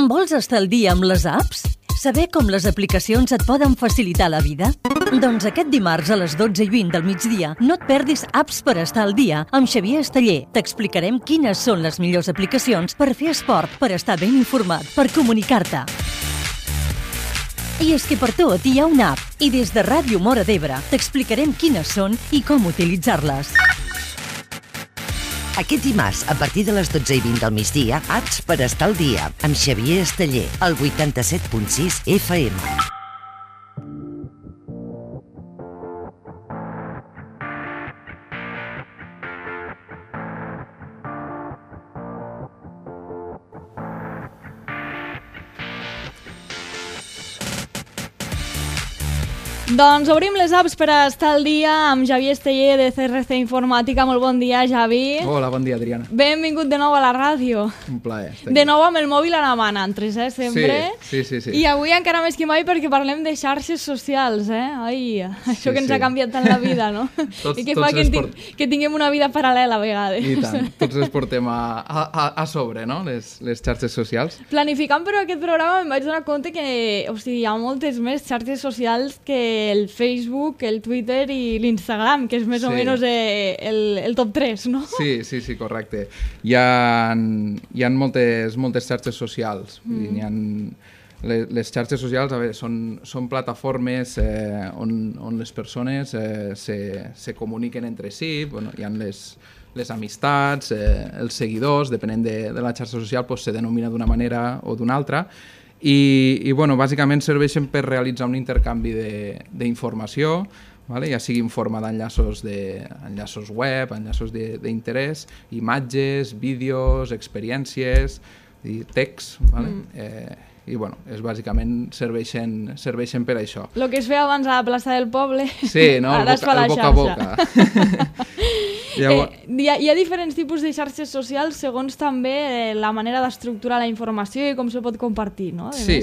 Vols estar al dia amb les apps? Saber com les aplicacions et poden facilitar la vida? Doncs aquest dimarts a les 12:20 del migdia no et perdis Apps per estar al dia amb Xavier Esteller. T'explicarem quines són les millors aplicacions per fer esport, per estar ben informat, per comunicar-te. I és que per tot hi ha una app i des de Ràdio Móra d'Ebre t'explicarem quines són i com utilitzar-les. Aquest dimarts, a partir de les 12:20 del migdia, Apps per estar al dia, amb Xavier Esteller, al 87.6 FM. Doncs obrim les apps per estar al dia amb Xavier Esteller de CRC Informàtica. Molt bon dia, Xavi. Hola, bon dia, Adriana. Benvingut de nou a la ràdio. Un plaer. De nou amb el mòbil a la mà, Nantres, sempre. Sí. I avui encara més que mai perquè parlem de xarxes socials, Ai, això que ens ha canviat tant la vida, no? I que fa que tinguem una vida paral·lela a vegades. I tant, tots les portem a sobre, no?, les xarxes socials. Planificant però aquest programa em vaig donar compte que hi ha moltes més xarxes socials que el Facebook, el Twitter i l'Instagram, que és més o menys el top 3, no? Sí, correcte. Hi ha moltes xarxes socials. Les xarxes socials, a veure, són plataformes on les persones se comuniquen entre si. Bueno, hi ha les amistats, els seguidors, depenent de la xarxa social, se denomina d'una manera o d'una altra. I bàsicament serveixen per realitzar un intercanvi d'informació, ja sigui en forma d'enllaços web, enllaços d'interès, imatges, vídeos, experiències, text, i bàsicament serveixen per això. El que es feia abans a la plaça del poble, sí, no? Ara es fa la xarxa. El boca a boca. Hi ha diferents tipus de xarxes socials segons també la manera d'estructurar la informació i com se pot compartir, no? Sí.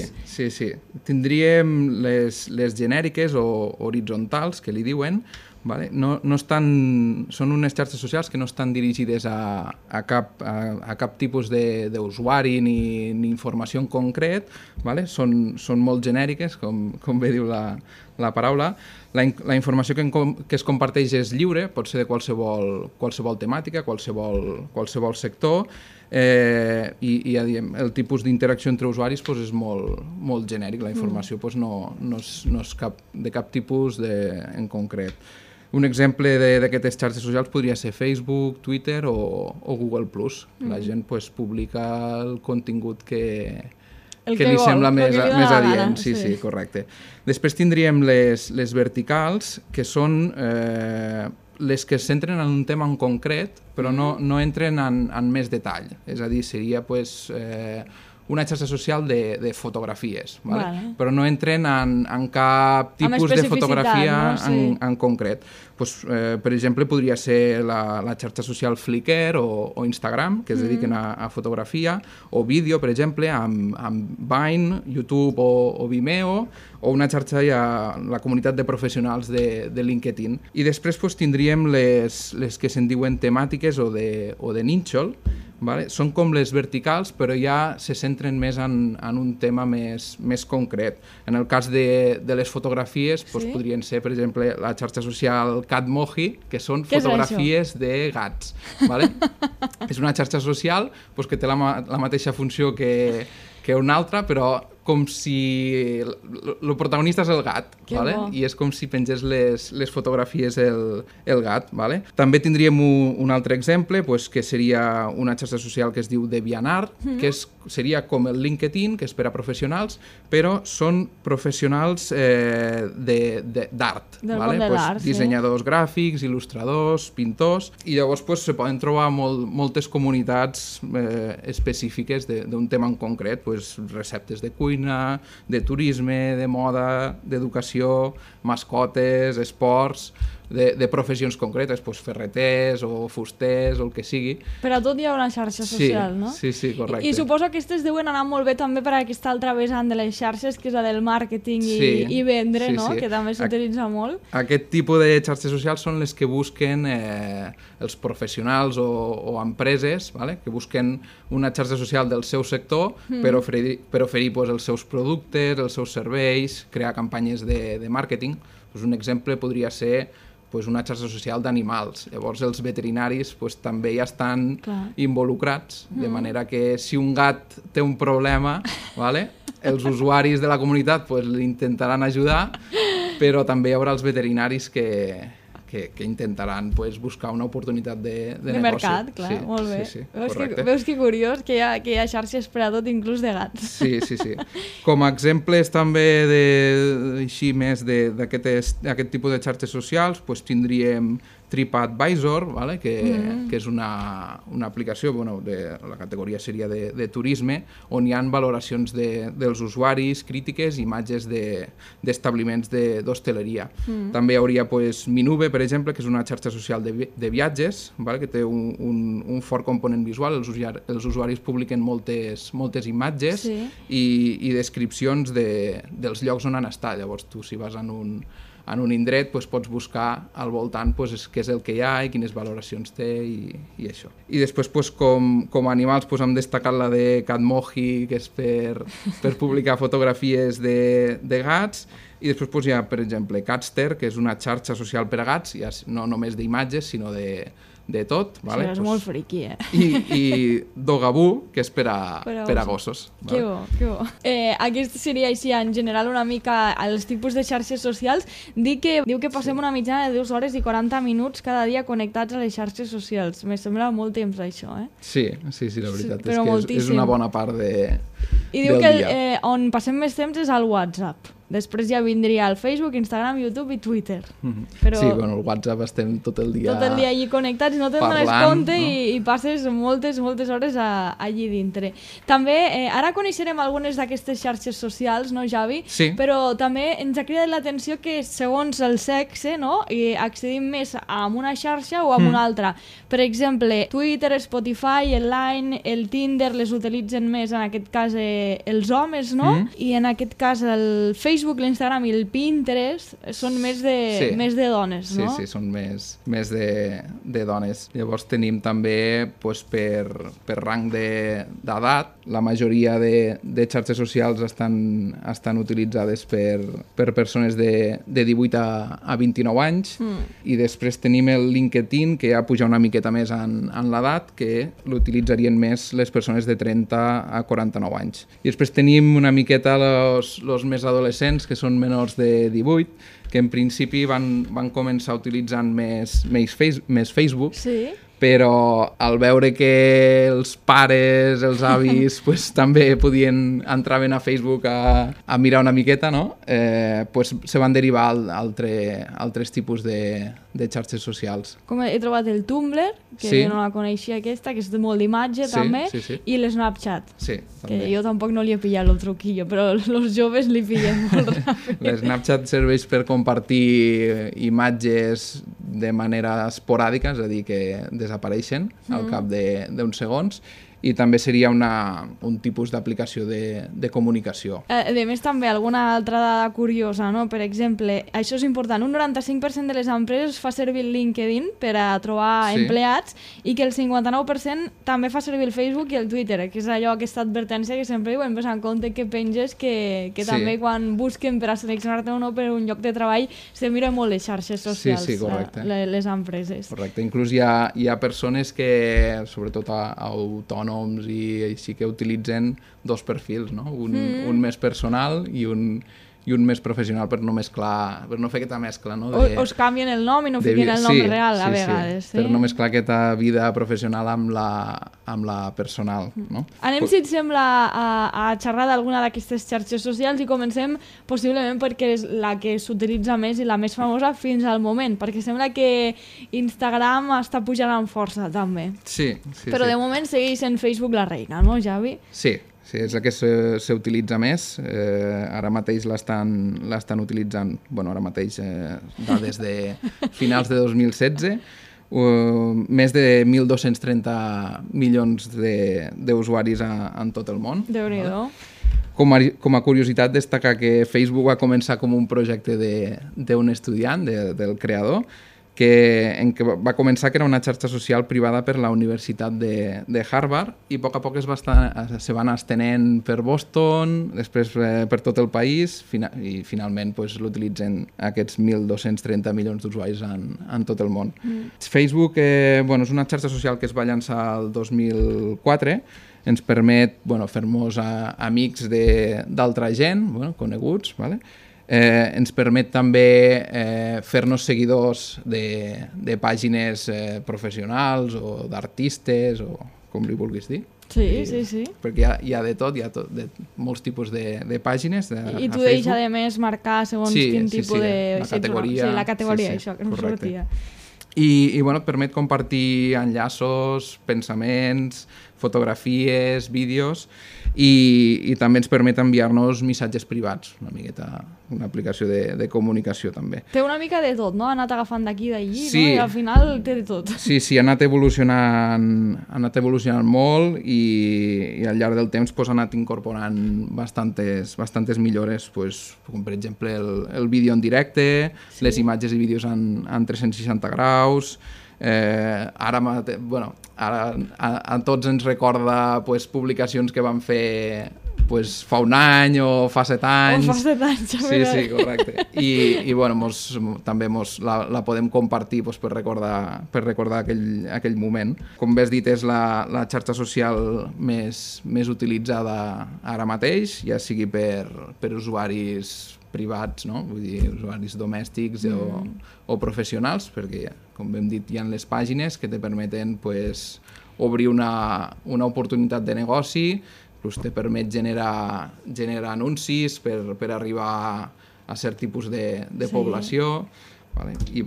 Tindríem les genèriques o horitzontals, que li diuen, són unes xarxes socials que no estan dirigides a cap tipus d'usuari ni informació en concret, són molt genèriques, com bé diu la paraula. La informació que es comparteix és lliure, pot ser de qualsevol temàtica, qualsevol sector, i ja diem, el tipus d'interacció entre usuaris és molt genèric, la informació no és de cap tipus en concret. Un exemple d'aquestes xarxes socials podria ser Facebook, Twitter o Google+. La gent publica el contingut que li sembla més adient. Sí, correcte. Després tindríem les verticals, que són les que es centren en un tema en concret, però no entren en més detall. És a dir, seria una xarxa social de fotografies, però no entren en cap tipus de fotografia en concret. Per exemple, podria ser la xarxa social Flickr o Instagram, que es dediquen a fotografia, o vídeo, per exemple, amb Vine, YouTube o Vimeo, o una xarxa la comunitat de professionals de LinkedIn. I després tindríem les que se'n diuen temàtiques o de nínxol. Són com les verticals, però ja se centren més en un tema més concret. En el cas de les fotografies, podrien ser, per exemple, la xarxa social Catmoji, que són fotografies de gats. És una xarxa social que té la mateixa funció que una altra, però com si el protagonista és el gat, i és com si pengés les fotografies el gat. També tindríem un altre exemple, que seria una xarxa social que es diu DeviantArt, que seria com el LinkedIn, que és per a professionals, però són professionals d'art, dissenyadors gràfics, il·lustradors, pintors, i llavors se poden trobar moltes comunitats específiques d'un tema en concret, receptes de cuina, de turisme, de moda, d'educació, mascotes, esports. de professions concretes, doncs ferreters o fusters o el que sigui. Per a tot hi ha una xarxa social, no? Sí, correcte. I suposo que aquestes deuen anar molt bé també per a aquesta altra vessant de les xarxes, que és la del màrqueting i vendre, no? Que també s'utilitza molt. Aquest tipus de xarxes socials són les que busquen els professionals o empreses, vale? Que busquen una xarxa social del seu sector per oferir els seus productes, els seus serveis, crear campanyes de màrqueting. Un exemple podria ser una xarxa social d'animals. Llavors els veterinaris també ja estan involucrats, de manera que si un gat té un problema, els usuaris de la comunitat l'intentaran ajudar, però també hi haurà els veterinaris que intentaran buscar una oportunitat de negoci. Mercat, clar, sí, molt bé. Sí, veus que curiós que hi ha xarxes per a tot, inclús de gats. Sí. Com a exemples també així més d'aquest tipus de xarxes socials, tindríem TripAdvisor, que és una aplicació, la categoria seria de turisme, on hi ha valoracions dels usuaris, crítiques, imatges d'establiments d'hostaleria. També hi hauria Minube, per exemple, que és una xarxa social de viatges, que té un fort component visual. Els usuaris publiquen moltes imatges i descripcions dels llocs on han estat. Llavors tu, si vas en un indret, pots buscar al voltant què és el que hi ha i quines valoracions té i això. I després, com a animals, hem destacat la de Catmoji, que és per publicar fotografies de gats, i després hi ha, per exemple, Catster, que és una xarxa social per a gats, no només d'imatges, sinó de tot. Sí, és molt friqui, I Dogaboo, que és per a gossos. Que bo. Aquest seria així, en general, una mica els tipus de xarxes socials. Diu que passem una mitjana de 2 hores i 40 minuts cada dia connectats a les xarxes socials. Me sembla molt temps, això, Sí, la veritat és que és una bona part del dia. I diu que on passem més temps és al WhatsApp. Després ja vindria el Facebook, Instagram, YouTube i Twitter. Però... Sí, el WhatsApp estem tot el dia allí connectats i no te'n dones compte, no? I passes moltes hores allí dintre. També, ara coneixerem algunes d'aquestes xarxes socials, no, Javi? Sí. Però també ens ha cridat l'atenció que segons el sexe, no, accedim més a una xarxa o a una altra. Per exemple, Twitter, Spotify, el Line, el Tinder les utilitzen més, en aquest cas, els homes, no? I en aquest cas el Facebook, l'Instagram i el Pinterest són més de dones, no? Sí, són més de dones. Llavors tenim també per rang d'edat. La majoria de xarxes socials estan utilitzades per persones de 18 a 29 anys i després tenim el LinkedIn, que ja puja una miqueta més en l'edat, que l'utilitzarien més les persones de 30 a 49 anys. I després tenim una miqueta els més adolescents, que són menors de 18, que en principi van començar utilitzant més Facebook, però al veure que els pares, els avis, també entraven a Facebook a mirar una miqueta, no? Se van derivar a altres tipus de xarxes socials. Com he trobat el Tumblr, que no la coneixia aquesta, que és molt d'imatge també, i l'Snapchat, que jo tampoc no li he pillat el truquillo, però els joves li pillen molt ràpid. L'Snapchat serveix per compartir imatges de manera esporàdica, és a dir, que desapareixen al cap d'uns segons, i també seria un tipus d'aplicació de comunicació. A més, també alguna altra dada curiosa, no? Per exemple, això és important, un 95% de les empreses fa servir el LinkedIn per a trobar empleats i que el 59% també fa servir el Facebook i el Twitter, que és allò, aquesta advertència que sempre diuen, en compte que penges que també quan busquen per a seleccionar-te o no per un lloc de treball se miren molt les xarxes socials, les empreses. Correcte, inclús hi ha persones que, sobretot autònoms i així, que utilitzen 2 perfils, no? Un més personal i un més professional per no fer aquesta mescla, no? O es canvien el nom i no fiquen el nom real a vegades. Per no mesclar aquesta vida professional amb la personal, no? Anem, si et sembla, a xerrar d'alguna d'aquestes xarxes socials i comencem possiblement perquè és la que s'utilitza més i la més famosa fins al moment, perquè sembla que Instagram està pujant amb força també. Sí. Però de moment segueix sent Facebook la reina, no, Javi? Sí, Sí, és el que s'utilitza més. Ara mateix l'estan utilitzant, ara mateix, dades de finals de 2016, més de 1.230 milions d'usuaris en tot el món. Déu-n'hi-do. Com a curiositat, destacar que Facebook va començar com un projecte d'un estudiant, del creador, en què va començar que era una xarxa social privada per la Universitat de Harvard i a poc se van estenent per Boston, després per tot el país i finalment l'utilitzen aquests 1.230 milions d'usuaris en tot el món. Facebook és una xarxa social que es va llançar el 2004, ens permet fer-nos amics d'altra gent, coneguts, ¿vale? Ens permet també fer-nos seguidors de pàgines professionals o d'artistes o com li vulguis dir. Sí. Perquè hi ha de tot, hi ha de molts tipus de pàgines I tu deixes, a més, marcar segons quin tipus de... la categoria. Sí, la categoria, això, que no sortia. I permet compartir enllaços, pensaments, fotografies, vídeos i també ens permet enviar-nos missatges privats, una aplicació de comunicació també. Té una mica de tot, no? Ha anat agafant d'aquí i d'allí, sí. No? I al final té de tot. Sí, ha anat evolucionant molt i al llarg del temps ha anat incorporant bastantes millores, com per exemple el vídeo en directe, les imatges i vídeos en 360 graus. Ara a tots ens recorda publicacions que van fer fa un any o fa 7 anys. O fa 7 anys, sí, correcte. I també la podem compartir per recordar aquell moment. Com bé has dit, és la xarxa social més utilitzada ara mateix, ja sigui per usuaris privats, no? Vull dir, usuaris domèstics o professionals, perquè, com hem dit, hi ha les pàgines que te permeten obrir una oportunitat de negoci, te permet generar anuncis per arribar a cert tipus de població, vale? I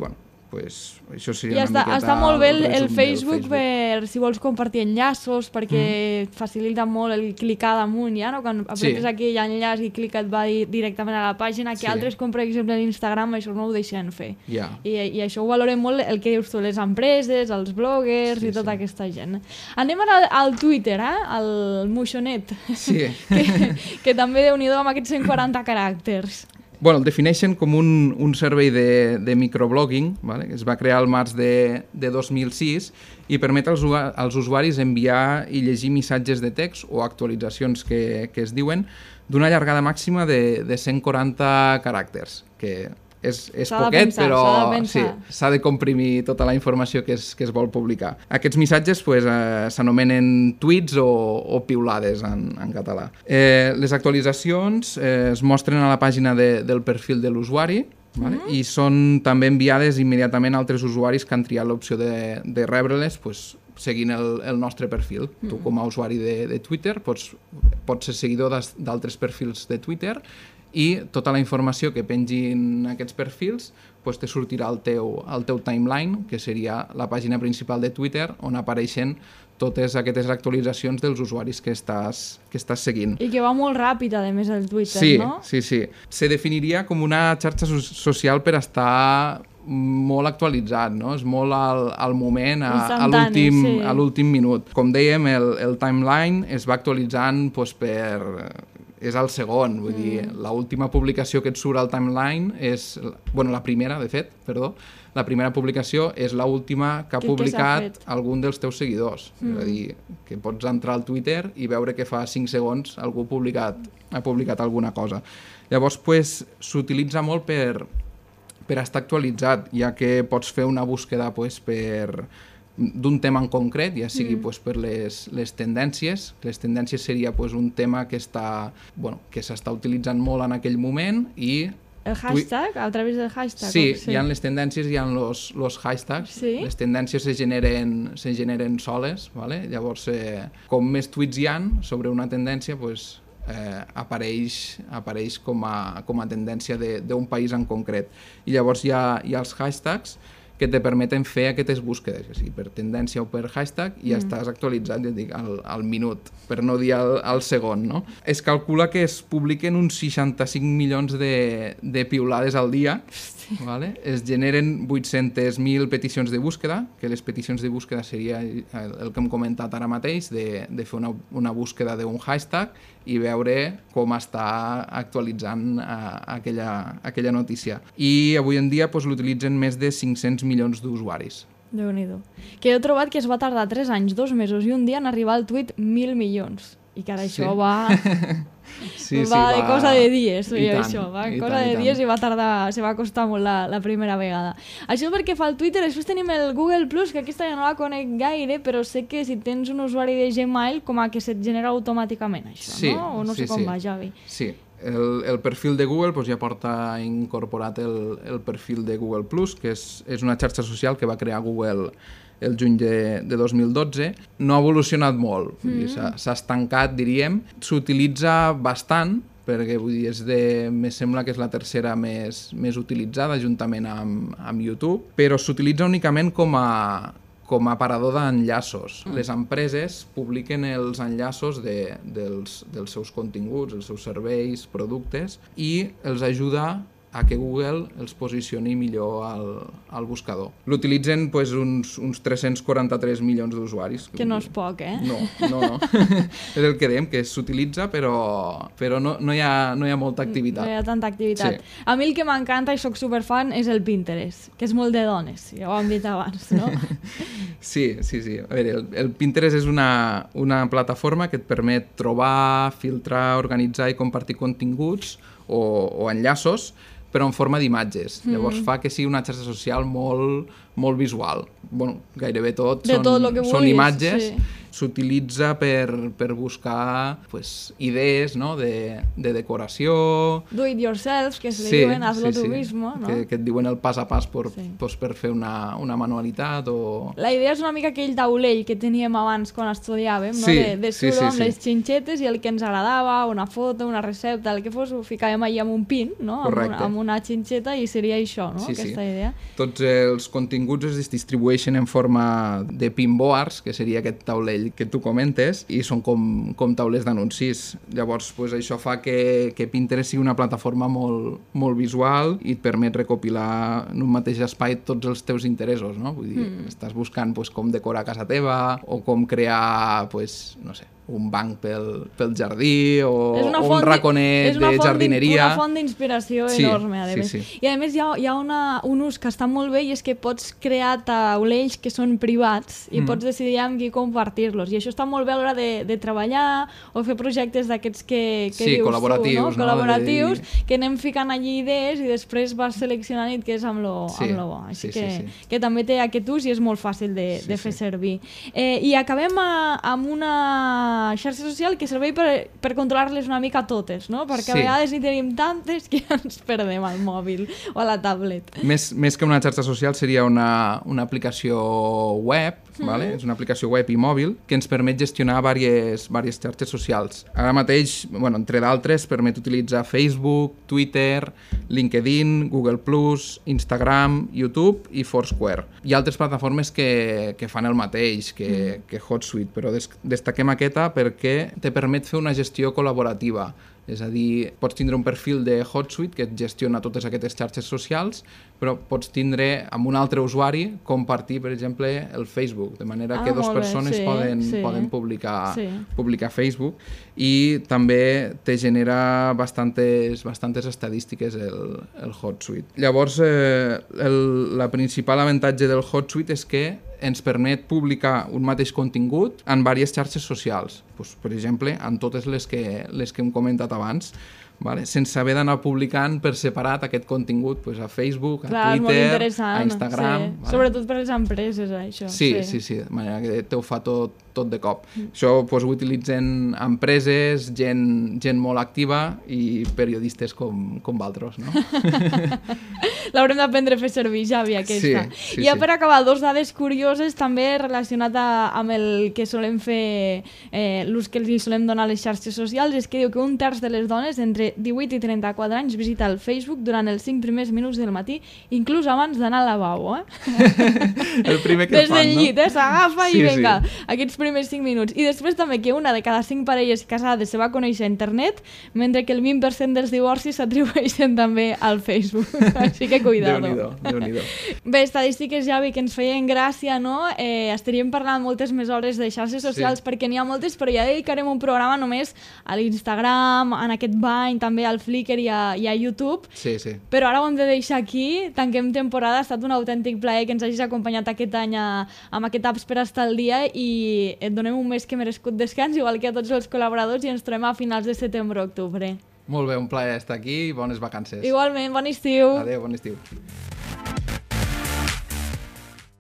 això seria una miqueta... Està molt bé el Facebook per si vols compartir enllaços, perquè facilita molt el clicar damunt, ja, no? Quan apretes aquell enllaç i clica et va directament a la pàgina, que altres, com per exemple l'Instagram, això no ho deixen fer. I això ho valorem molt, el que dius tu, les empreses, els bloggers i tota aquesta gent. Anem ara al Twitter, al moixonet, que també déu-n'hi-do amb aquests 140 caràcters. El defineixen com un servei de microblogging, ¿vale? Que es va crear al març de 2006 i permet als usuaris enviar i llegir missatges de text o actualitzacions que es diuen d'una llargada màxima de 140 caràcters, que és poquet, però s'ha de comprimir tota la informació que es vol publicar. Aquests missatges s'anomenen tuits o piulades en català. Les actualitzacions es mostren a la pàgina del perfil de l'usuari, vale? I són també enviades immediatament a altres usuaris que han triat l'opció de rebre-les seguint el nostre perfil. Tu, com a usuari de Twitter, pots ser seguidor d'altres perfils de Twitter i tota la informació que pengin aquests perfils te sortirà al teu timeline, que seria la pàgina principal de Twitter, on apareixen totes aquestes actualitzacions dels usuaris que estàs seguint. I que va molt ràpid, a més, el Twitter, no? Sí. Se definiria com una xarxa social per estar molt actualitzat, no? És molt al moment, a l'últim minut. Com dèiem, el timeline es va actualitzant és el segon, vull dir, l'última publicació que et surt al timeline és, la primera publicació és l'última que ha publicat algun dels teus seguidors. És a dir, que pots entrar al Twitter i veure que fa 5 segons algú ha publicat alguna cosa. Llavors, s'utilitza molt per estar actualitzat, ja que pots fer una búsqueda d'un tema en concret, ja sigui per les tendències. Les tendències seria un tema que s'està utilitzant molt en aquell moment i... El hashtag? A través del hashtag? Sí, hi ha les tendències i hi ha els hashtags. Les tendències se generen soles, ¿vale? Llavors, com més tuits hi ha sobre una tendència, apareix com a tendència d'un país en concret. I llavors hi ha els hashtags, que te permeten fer aquestes búsquedes, o sigui, per tendència o per hashtag, i ja estàs actualitzat, ja et dic, al minut, per no dir al segon, no? Es calcula que es publiquen uns 65 milions de piulades al dia, vale? Es generen 800.000 peticions de búsqueda, que les peticions de búsqueda seria el que hem comentat ara mateix, de fer una búsqueda d'un hashtag i veure com està actualitzant aquella notícia. I avui en dia l'utilitzen més de 500 milions d'usuaris. Déu-n'hi-do. Que he trobat que es va tardar 3 anys, 2 mesos i un dia en arribar al tuit 1.000 milions. I que ara això va... va de cosa de dies, això, va cosa de dies i va tardar, se va costar molt la primera vegada. Això perquè fa el Twitter. Després tenim el Google Plus, que aquesta ja no la conec gaire, però sé que si tens un usuari de Gmail com a que se't genera automàticament això, sí, no? O no sé com va, Javi. Sí, el perfil de Google ja porta incorporat el perfil de Google Plus, que és una xarxa social que va crear Google el juny de 2012. No ha evolucionat molt, s'ha estancat, diríem. S'utilitza bastant, perquè vull dir, me sembla que és la tercera més utilitzada, juntament amb YouTube, però s'utilitza únicament com a aparador d'enllaços. Les empreses publiquen els enllaços dels seus continguts, els seus serveis, productes, i els ajuda a que Google els posicioni millor al buscador. L'utilitzen uns 343 milions d'usuaris. Que no és poc, eh? No. És el que dèiem, que s'utilitza, però no hi ha molta activitat. No hi ha tanta activitat. Sí. A mi el que m'encanta, i soc superfan, és el Pinterest, que és molt de dones, ja ho hem dit abans, no? Sí. A veure, el Pinterest és una plataforma que et permet trobar, filtrar, organitzar i compartir continguts o enllaços, però en forma d'imatges. Llavors fa que sigui una xarxa social molt, molt visual. Bueno, gairebé tot són imatges. Sí. S'utilitza per buscar idees, no? de decoració... Do it yourself, que se li diuen, hazlo tu mismo, no? Que et diuen el pas a pas per fer una manualitat o... La idea és una mica aquell taulell que teníem abans quan estudiàvem, no? De sudo amb les xinxetes, i el que ens agradava, una foto, una recepta, el que fos, ho ficàvem allà amb un pin, no? Amb una xinxeta, i seria això, no? Aquesta idea. Tots els continguts es distribueixen en forma de pinboards, que seria aquest taulell que tu comentes, i són com taulers d'anuncis. Llavors, això fa que Pinterest sigui una plataforma molt, molt visual i et permet recopilar en un mateix espai tots els teus interessos, no? Vull dir, estàs buscant com decorar casa teva o com crear, no sé, un banc pel jardí o un raconet de jardineria. És una font d'inspiració enorme, a més. Sí. I a més hi ha un ús que està molt bé, i és que pots crear taulells que són privats i pots decidir amb qui compartir-los. I això està molt bé a l'hora de treballar o fer projectes d'aquests que dius col·laboratius, tu, no? Col·laboratius, que anem ficant allí idees i després vas seleccionant i et quedes amb lo bo. Així que també té aquest ús i és molt fàcil de fer servir. I acabem amb una xarxa social que serveix per controlar-les una mica totes, no? Perquè a vegades hi tenim tantes que ens perdem al mòbil o a la tablet. Més que una xarxa social seria una aplicació web, vale? És una aplicació web i mòbil que ens permet gestionar diverses xarxes socials. Ara mateix, entre d'altres, permet utilitzar Facebook, Twitter, LinkedIn, Google+, Instagram, YouTube i Foursquare. Hi ha altres plataformes que fan el mateix que HotSuite, però destaquem aquesta perquè te permet fer una gestió col·laborativa. És a dir, pots tindre un perfil de HotSuite que et gestiona totes aquestes xarxes socials, però pots tindre amb un altre usuari compartir, per exemple, el Facebook, de manera que dues persones poden publicar Facebook, i també te genera bastantes estadístiques el HotSuite. Llavors, el principal avantatge del HotSuite és que ens permet publicar un mateix contingut en diverses xarxes socials. Per exemple, en totes les que hem comentat abans, sense haver d'anar publicant per separat aquest contingut a Facebook, a Twitter, a Instagram. Sobretot per les empreses, això. Sí, de manera que te ho fa tot de cop. Això ho utilitzen empreses, gent molt activa i periodistes com vosaltres, no? L'haurem d'aprendre a fer servir, Javi, aquesta. I ja per acabar, 2 dades curioses també relacionat amb el que solem fer, l'ús que li solem donar a les xarxes socials, és que diu que 1/3 de les dones entre entre 18 i 34 anys visita el Facebook durant els 5 primers minuts del matí, inclús abans d'anar al lavabo, El primer que Des fan, del llit, s'agafa Sí, i vinga, sí. aquests primers 5 minuts. I després també que una de cada 5 parelles casades se va conèixer a internet, mentre que el 20% dels divorcis s'atribueixen també al Facebook. Així que cuidado. Déu-n'hi-do. Bé, estadístiques, Javi, que ens feien gràcia, no? Estaríem parlant moltes més hores de xarxes socials perquè n'hi ha moltes, però ja dedicarem un programa només a l'Instagram, en aquest Vine, també al Flickr i a YouTube. Sí. Però ara ho hem de deixar aquí, tanquem temporada, ha estat un autèntic plaer que ens hagis acompanyat aquest any amb aquest Apps per estar al dia i et donem un més que merescut descans, igual que a tots els col·laboradors, i ens trobem a finals de setembre o octubre. Molt bé, un plaer estar aquí i bones vacances. Igualment, bon estiu! Adéu, bon estiu.